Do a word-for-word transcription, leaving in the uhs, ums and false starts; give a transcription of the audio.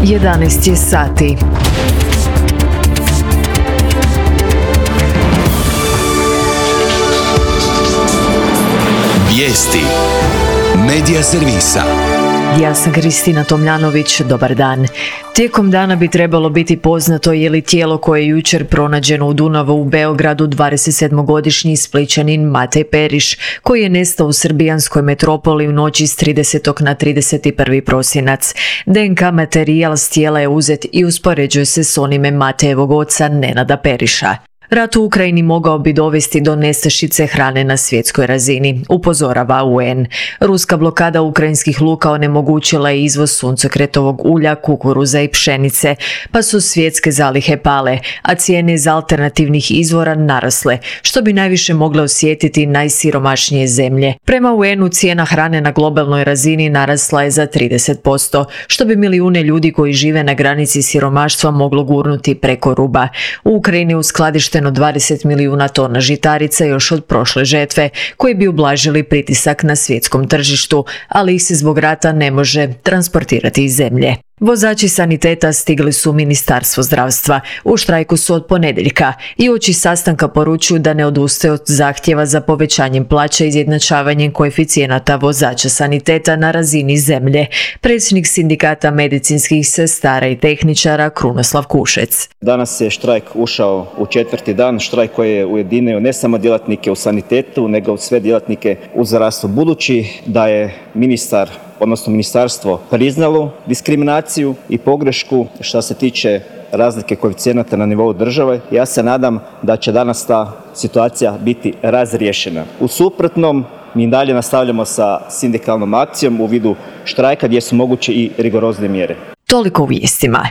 jedanaest je sati. Vijesti Medija servisa. Ja sam Kristina Tomljanović, dobar dan. Tijekom dana bi trebalo biti poznato je li tijelo koje je jučer pronađeno u Dunavu u Beogradu dvadesetsedmogodišnji Splićanin Matej Periš, koji je nestao u srbijanskoj metropoli u noći s tridesetog na trideset prvi prosinac. D N K materijal s tijela je uzet i uspoređuje se s onime Matejevog oca Nenada Periša. Rat u Ukrajini mogao bi dovesti do nestašice hrane na svjetskoj razini, upozorava U N. Ruska blokada ukrajinskih luka onemogućila je izvoz suncokretovog ulja, kukuruza i pšenice, pa su svjetske zalihe pale, a cijene iz alternativnih izvora narasle, što bi najviše mogle osjetiti najsiromašnije zemlje. Prema U N-u cijena hrane na globalnoj razini narasla je za trideset posto, što bi milijune ljudi koji žive na granici siromaštva moglo gurnuti preko ruba. U Ukrajini je uskladišteno dvadeset milijuna tona žitarica još od prošle žetve, koji bi ublažili pritisak na svjetskom tržištu, ali ih se zbog rata ne može transportirati iz zemlje. Vozači saniteta stigli su u Ministarstvo zdravstva. U štrajku su od ponedjeljka i uoči sastanka poručuju da ne odustaju od zahtjeva za povećanjem plaća i izjednačavanjem koeficijenata vozača saniteta na razini zemlje. Predsjednik sindikata medicinskih sestara i tehničara Krunoslav Kušec. Danas je štrajk ušao u četvrti dan, štrajk koji je ujedinio ne samo djelatnike u sanitetu, nego sve djelatnike u zdravstvu. Budući da je ministar odnosno ministarstvo priznalo diskriminaciju i pogrešku što se tiče razlike koeficijenata na nivou države, ja se nadam da će danas ta situacija biti razriješena. U suprotnom, mi dalje nastavljamo sa sindikalnom akcijom u vidu štrajka gdje su moguće i rigorozne mjere. Toliko u vijestima.